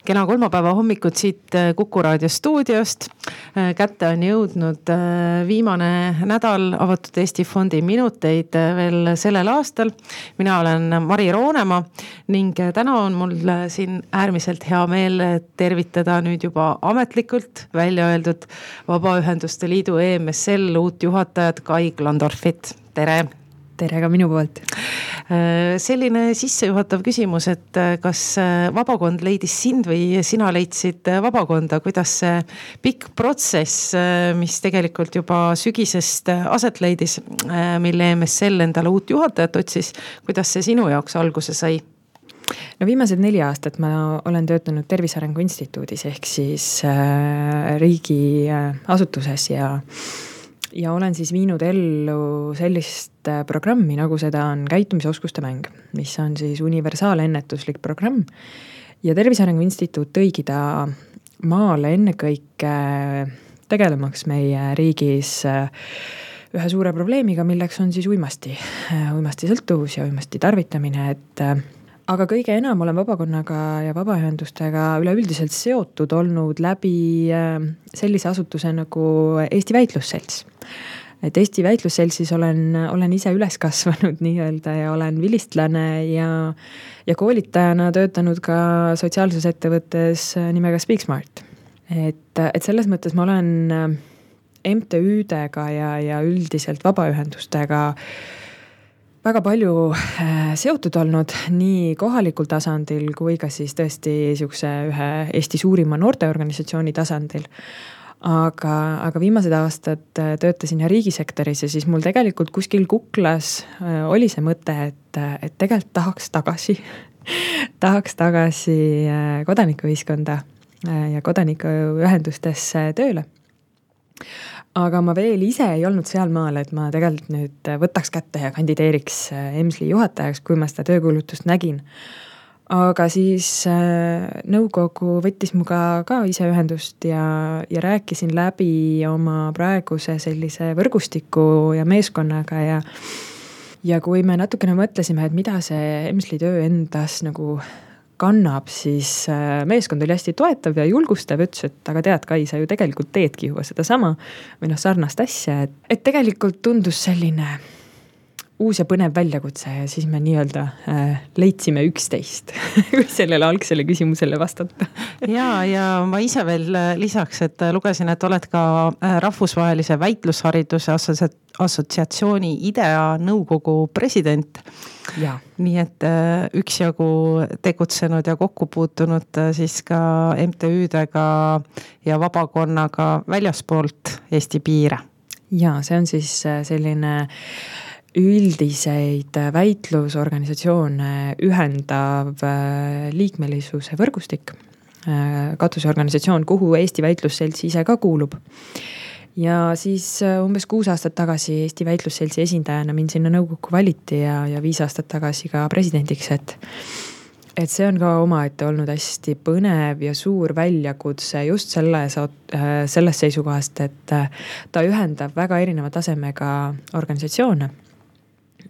Kena kolmapäeva hommikut siit Kuku Raadio stuudiost. Kätte on jõudnud viimane nädal Avatud Eesti Fondi minuteid veel sellel aastal. Mina olen Mari Roonemaa ning täna on mul siin äärmiselt hea meel tervitada nüüd juba ametlikult välja öeldud Vabaühenduste Liidu EMSL uut juhatajat Kai Klandorfit. Tere! Tere ka minu poolt. Selline sissejuhatav küsimus, et kas vabakond leidis sind või sina leidsid vabakonda, kuidas see pikk protsess, mis tegelikult juba sügisest aset leidis, mille EMSL endale uut juhatajat otsis, kuidas see sinu jaoks alguse sai? No viimased 4 aastat ma olen töötanud Tervise Arengu Instituudis ehk siis riigi asutuses ja olen siis viinud ellu sellist programmi, nagu seda on käitumisoskuste mäng, mis on siis universaalennetuslik programm. Ja Tervise Arengu Instituut tõigi ta maale ennekõike tegelemaks meie riigis ühe suure probleemiga, milleks on siis uimasti sõltuvus ja uimasti tarvitamine, aga kõige enam olen vabakonnaga ja vabaühendustega üleüldiselt seotud olnud läbi sellise asutuse nagu Eesti Väitlusselts. Et Eesti Väitlusseltsis olen ise üles kasvanud nii-öelda ja olen vilistlane ja koolitajana töötanud ka sotsiaalses ettevõttes nimega Speaksmart. Et selles mõttes ma olen MTÜ-dega ja üldiselt vabaühendustega väga palju seotud olnud nii kohalikul tasandil kui ka siis tõesti ühe Eesti suurima noorteorganisatsiooni tasandil. Aga viimased aastad töötasin riigisektoris ja siis mul tegelikult kuskil kuklas oli see mõte, et tegelikult tahaks tagasi kodanikuühiskonda ja kodanikuühendustesse tööle. Aga ma veel ise ei olnud seal maal, et ma tegelikult nüüd võtaks kätte ja kandideeriks EMSL-i juhatajaks, kui ma seda töökuulutust nägin. Aga siis nõukogu võttis muga ka ise ühendust ja rääkisin läbi oma praeguse sellise võrgustiku ja meeskonnaga ja kui me natukene mõtlesime, et mida see EMSL-i töö endas nagu kannab, siis meeskond oli hästi toetav ja julgustav, ütles, et aga tead, Kai, sa ju tegelikult teedki juba seda sama või sarnast asja, et tegelikult tundus selline uus ja põnev väljakutse ja siis me nii-öelda leidsime 11, kui sellele algsele küsimusele vastata. Ja ma ise veel lisaks, et lugesin, et oled ka rahvusvahelise väitlushariduse assotsiatsiooni IDEA nõukogu president. Ja. Nii et üksjagu tegutsenud ja kokku puutunud siis ka MTÜ-dega ja vabakonnaga väljaspoolt Eesti piire. Ja, see on siis selline üldiseid väitlusorganisatsioone ühendav liikmelisuse võrgustik, katuseorganisatsioon, kuhu Eesti Väitlusselts ise ka kuulub. Ja siis umbes 6 aastat tagasi Eesti Väitlusseltsi esindajana mind sinna nõukokku valiti ja 5 aastat tagasi ka presidendiks, et see on ka omaette olnud hästi põnev ja suur väljakutse just selles seisukohast, et ta ühendab väga erineva tasemega organisatsioone.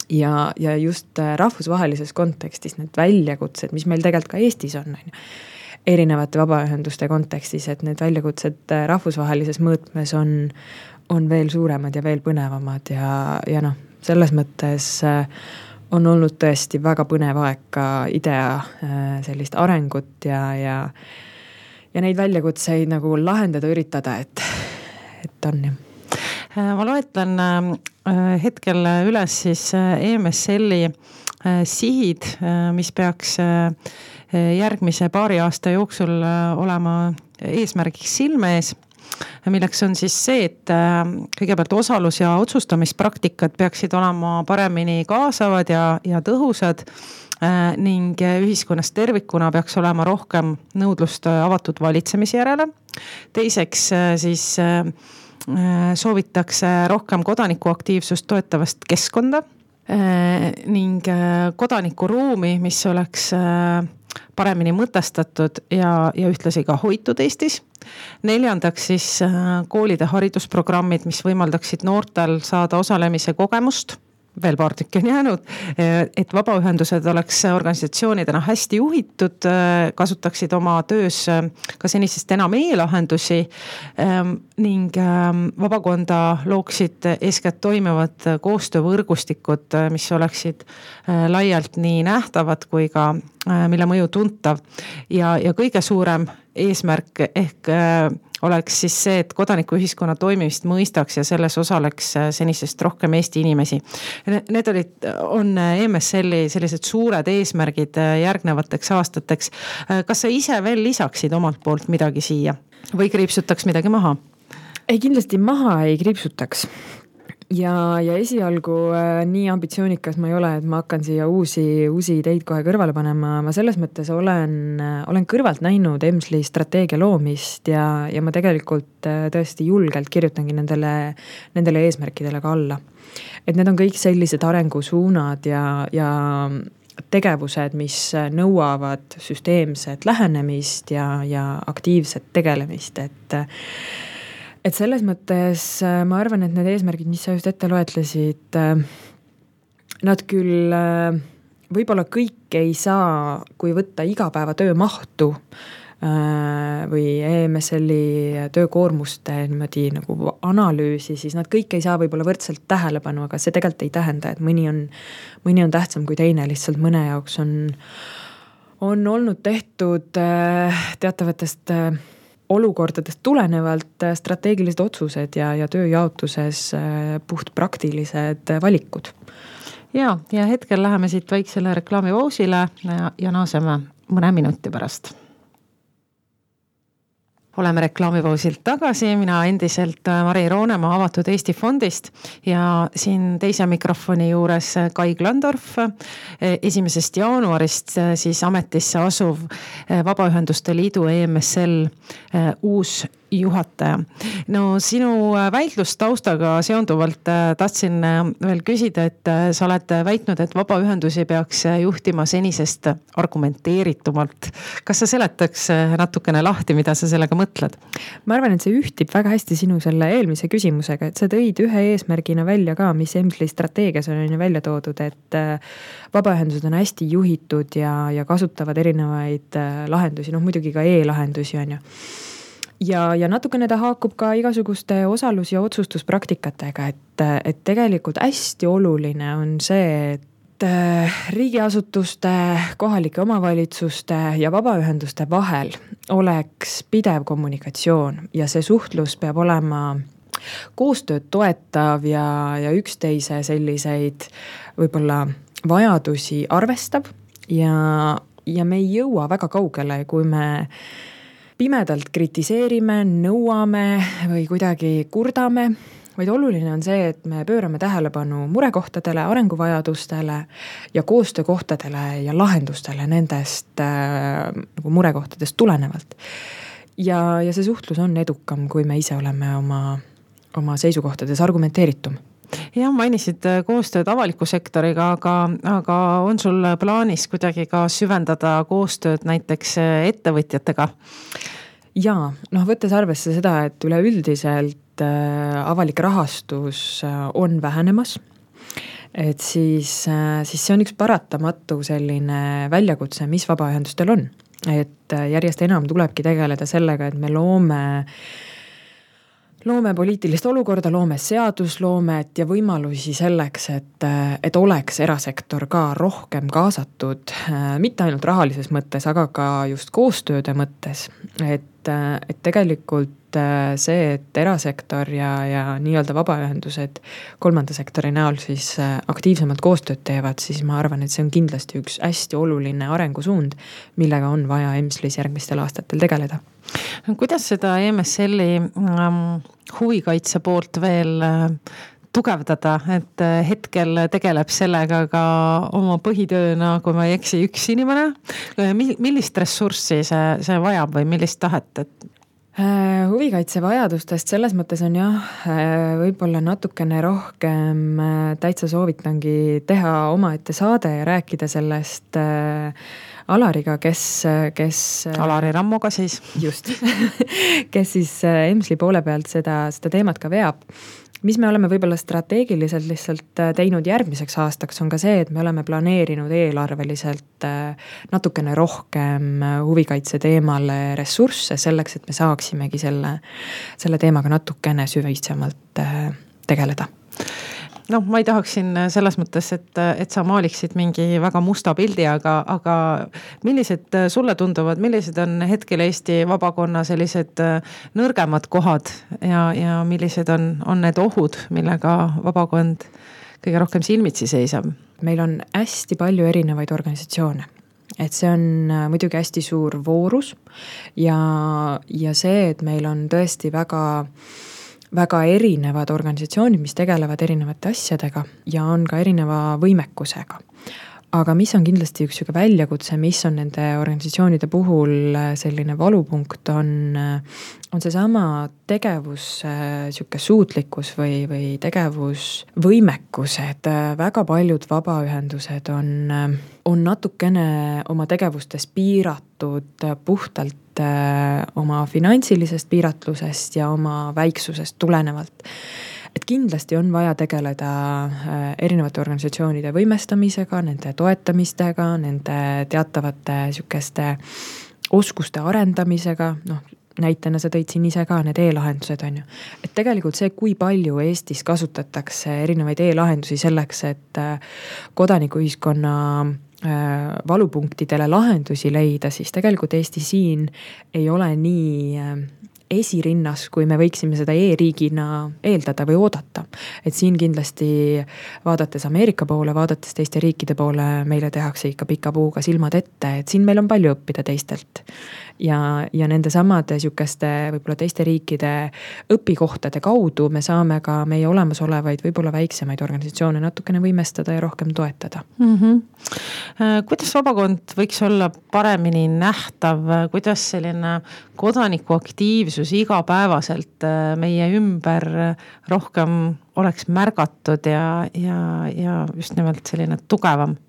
Ja just rahvusvahelises kontekstis need väljakutsed, mis meil tegelikult ka Eestis on, erinevate vabaühenduste kontekstis, et need väljakutsed rahvusvahelises mõõtmes on veel suuremad ja veel põnevamad ja selles mõttes on olnud tõesti väga põnev aeg ka IDEA sellist arengut ja neid väljakutseid nagu lahendada, üritada, et on. Ma loetlen hetkel üles siis EMSL-i sihid, mis peaks järgmise paari aasta jooksul olema eesmärgiks silme ees, milleks on siis see, et kõigepealt osalus- ja otsustamispraktikad peaksid olema paremini kaasavad ja tõhusad ning ühiskonnas tervikuna peaks olema rohkem nõudlust avatud valitsemise järele. Teiseks siis soovitakse rohkem kodanikuaktiivsust toetavast keskkonda ning kodanikuruumi, mis oleks paremini mõtestatud ja ühtlasi ka hoitud Eestis. 4. siis koolide haridusprogrammid, mis võimaldaksid noortel saada osalemise kogemust veel paar tükki on jäänud, et vabaühendused oleks organisatsioonidena hästi juhitud, kasutaksid oma töös ka senisest enam e-lahendusi ning vabakonda looksid eeskätt toimivad koostöövõrgustikud, mis oleksid laialt nii nähtavad kui ka mille mõju tuntav ja kõige suurem eesmärk ehk oleks siis see, et kodanikuühiskonna toimimist mõistaks ja selles osaleks senisest rohkem Eesti inimesi. Need on EMSL-i sellised suured eesmärgid järgnevateks aastateks. Kas sa ise veel lisaksid omalt poolt midagi siia või kriipsutaks midagi maha? Ei, kindlasti maha ei kriipsutaks. Ja esialgu nii ambitsioonikas ma ei ole, et ma hakkan siia uusi ideid kohe kõrvale panema. Ma selles mõttes olen kõrvalt näinud EMSL-i strateegia loomist ja ma tegelikult tõesti julgelt kirjutangi nendele eesmärkidele ka alla. Et need on kõik sellised arengusuunad ja tegevused, mis nõuavad süsteemset lähenemist ja aktiivset tegelemist, et selles mõttes ma arvan, et need eesmärgid, mis sa just ette loetlesid, nad küll võib-olla kõik ei saa, kui võtta igapäevatöö mahtu või EMSL-i töökoormuste niimoodi nagu analüüsi, siis nad kõik ei saa võib-olla võrdselt tähelepanu, aga see tegelikult ei tähenda, et mõni on tähtsam kui teine, lihtsalt mõne jaoks on olnud tehtud teatavatest olukordadest tulenevalt strateegilised otsused ja tööjaotuses puht praktilised valikud. Ja hetkel läheme siit väiksele reklaamipausile ja naaseme mõne minuti pärast. Oleme reklaamipausilt tagasi, mina endiselt Mari Roonemaa Avatud Eesti Fondist ja siin teise mikrofoni juures Kai Glandorf, 1. jaanuarist siis ametisse asuv Vabaühenduste Liidu EMSL uus juhataja. No sinu väitlustaustaga seonduvalt tahtsin veel küsida, et sa oled väitnud, et vabaühendusi peaks juhtima senisest argumenteeritumalt. Kas sa seletaks natukene lahti, mida sa sellega mõtled? Ma arvan, et see ühtib väga hästi sinu selle eelmise küsimusega, et sa tõid ühe eesmärgina välja ka, mis EMSL-i strateegias on välja toodud, et vabaühendused on hästi juhitud ja kasutavad erinevaid lahendusi, muidugi ka e-lahendusi on ju. Ja natukene ta haakub ka igasuguste osalus- ja otsustuspraktikatega, et tegelikult hästi oluline on see, et riigiasutuste, kohalike omavalitsuste ja vabaühenduste vahel oleks pidev kommunikatsioon ja see suhtlus peab olema koostööd toetav ja üksteise selliseid võib-olla vajadusi arvestab ja me ei jõua väga kaugele, kui me pimedalt kritiseerime, nõuame või kuidagi kurdame, vaid oluline on see, et me pöörame tähelepanu murekohtadele, arenguvajadustele ja koostöökohtadele ja lahendustele nendest nagu murekohtadest tulenevalt. Ja see suhtlus on edukam, kui me ise oleme oma seisukohtades argumenteeritum. Ja mainisid koostööd avaliku sektoriga, aga on sul plaanis kuidagi ka süvendada koostööd näiteks ettevõtjatega? Jaa, võttes arvesse seda, et üleüldiselt avalik rahastus on vähenemas, et siis see on üks paratamatu selline väljakutse, mis vabaühendustel on. Et järjest enam tulebki tegeleda sellega, et me loome poliitilist olukorda, loome seadusloomet ja võimalusi selleks, et oleks erasektor ka rohkem kaasatud, mitte ainult rahalises mõttes, aga ka just koostööde mõttes. Et tegelikult see, et erasektor ja nii-öelda vabaühendused kolmanda sektori näol siis aktiivsemalt koostööd teevad, siis ma arvan, et see on kindlasti üks hästi oluline arengusuund, millega on vaja EMSL-is järgmistel aastatel tegeleda. Kuidas seda EMSL-i huvikaitse poolt veel tugevdada, et hetkel tegeleb sellega ka oma põhitööna, kui ma ei eksi, üks inimene? Millist ressurssi see vajab või millist tahet? Huvikaitse vajadustest selles mõttes on võib-olla natukene rohkem täitsa soovitangi teha omaette saade ja rääkida sellest Alariga, kes Alari Rammoga siis. Just, kes siis EMSL-i poole pealt seda teemat ka veab. mis me oleme võib-olla strateegiliselt lihtsalt teinud järgmiseks aastaks, on ka see, et me oleme planeerinud eelarveliselt natukene rohkem huvikaitse teemale ressursse selleks, et me saaksimegi selle teemaga natukene süvisemalt tegeleda. Ma ei tahaks siin selles mõttes, et sa maaliksid mingi väga musta pildi, aga millised sulle tunduvad, millised on hetkel Eesti vabakonna sellised nõrgemad kohad ja millised on need ohud, millega vabakond kõige rohkem silmitsi seisab? Meil on hästi palju erinevaid organisatsioone. Et see on muidugi hästi suur voorus ja see, et meil on tõesti väga erinevad organisatsioonid, mis tegelevad erinevate asjadega ja on ka erineva võimekusega. Aga mis on kindlasti üks väljakutse, mis on nende organisatsioonide puhul selline valupunkt, on seesama tegevus, suutlikkus või tegevusvõimekus, et väga paljud vabaühendused on natukene oma tegevustes piiratud puhtalt oma finantsilisest piiratlusest ja oma väiksusest tulenevalt. Et kindlasti on vaja tegeleda erinevate organisatsioonide võimestamisega, nende toetamistega, nende teatavate sükeste oskuste arendamisega, näitena sa tõid siin ise ka need e-lahendused on ju. Et tegelikult see, kui palju Eestis kasutatakse erinevaid e-lahendusi selleks, et kodanikuühiskonna valupunktidele lahendusi leida, siis tegelikult Eesti siin ei ole nii esirinnas, kui me võiksime seda e-riigina eeldada või oodata. Et siin kindlasti vaadates Ameerika poole, vaadates teiste riikide poole, meile tehakse ikka pika puuga silmad ette, et siin meil on palju õppida teistelt. Ja nende samade sükeste võib-olla teiste riikide õpikohtade kaudu me saame ka meie olemasolevaid võib-olla väiksemaid organisatsioone natukene võimestada ja rohkem toetada. Kuidas vabakond võiks olla paremini nähtav, kuidas selline kodanikuaktiivsus igapäevaselt meie ümber rohkem oleks märgatud ja just nimelt selline tugevam?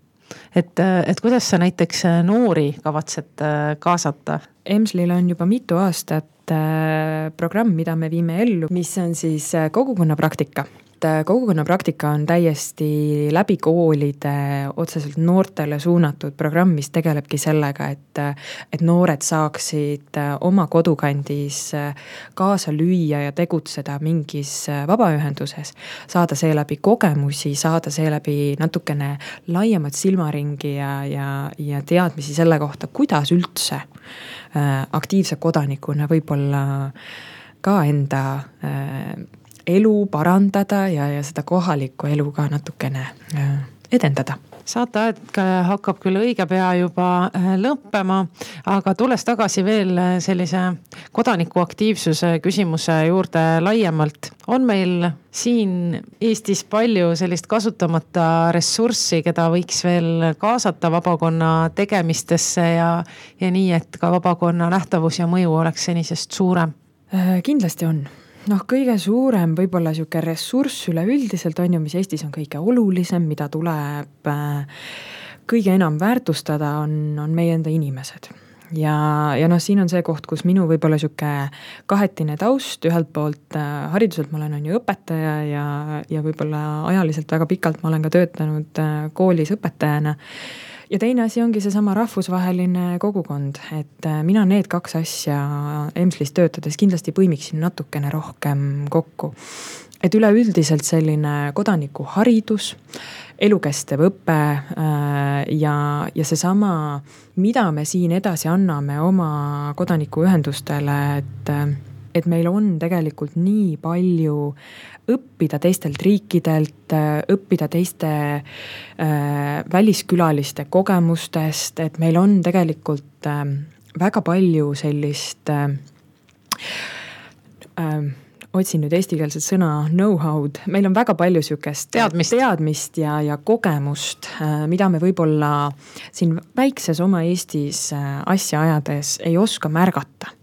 Et kuidas sa näiteks noori kavatsed kaasata? EMSLil on juba mitu aastat programm, mida me viime ellu, mis on siis kogukonna praktika. Kogukonna praktika on täiesti läbi koolide otseselt noortele suunatud programm, mis tegelebki sellega, et noored saaksid oma kodukandis kaasa lüüa ja tegutseda mingis vabaühenduses, saada seeläbi kogemusi, saada seeläbi natukene laiemat silmaringi ja teadmisi selle kohta, kuidas üldse aktiivse kodanikuna võib-olla ka enda elu parandada ja seda kohalikku elu ka natukene edendada. Saateaeg hakkab küll õige pea juba lõppema, aga tulles tagasi veel sellise kodanikuaktiivsuse küsimuse juurde laiemalt, on meil siin Eestis palju sellist kasutamata ressurssi, keda võiks veel kaasata vabakonna tegemistesse ja nii, et ka vabakonna nähtavus ja mõju oleks senisest suurem? Kindlasti on. Kõige suurem võib-olla siuke ressurss üleüldiselt on ju, mis Eestis on kõige olulisem, mida tuleb kõige enam väärtustada, on meie enda inimesed. Ja siin on see koht, kus minu võib-olla siuke kahetine taust, ühelt poolt hariduselt ma olen ju õpetaja ja võib-olla ajaliselt väga pikalt ma olen ka töötanud koolis õpetajana. Ja teine asi ongi seesama rahvusvaheline kogukond, et mina need kaks asja EMSLis töötades kindlasti põimiksin natukene rohkem kokku. Et üleüldiselt selline kodanikuharidus, elukestev õpe ja seesama, mida me siin edasi anname oma kodanikuühendustele, et meil on tegelikult nii palju õppida teistelt riikidelt, õppida teiste väliskülaliste kogemustest, et meil on tegelikult väga palju sellist, otsin nüüd eestikeelset sõna know-how'd, meil on väga palju sükest teadmist ja kogemust, mida me võib-olla siin väikses oma Eestis asja ajades ei oska märgata.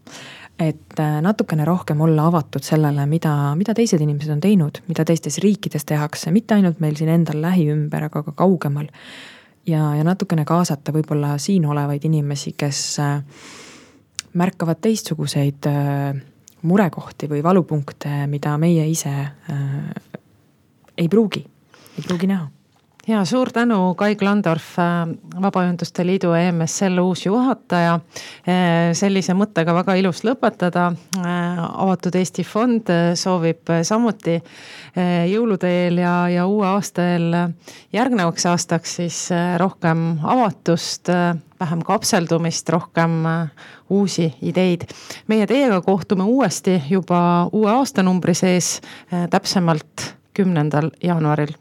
Et natukene rohkem olla avatud sellele, mida teised inimesed on teinud, mida teistes riikides tehakse, mitte ainult meil siin endal lähiümber, aga ka kaugemal. Ja natukene kaasata võib-olla siin olevaid inimesi, kes märkavad teistsuguseid murekohti või valupunkte, mida meie ise ei pruugi näha. Ja suur tänu, Kai Klandorf, Vabaühenduste Liidu EMSL uus juhataja. Sellise mõttega väga ilus lõpetada. Avatud Eesti Fond soovib samuti jõulude eel ja uue aasta eel järgnevaks aastaks siis rohkem avatust, vähem kapseldumist, rohkem uusi ideid. Meie teiega kohtume uuesti juba uue aastanumbri sees, täpsemalt 10. jaanuaril.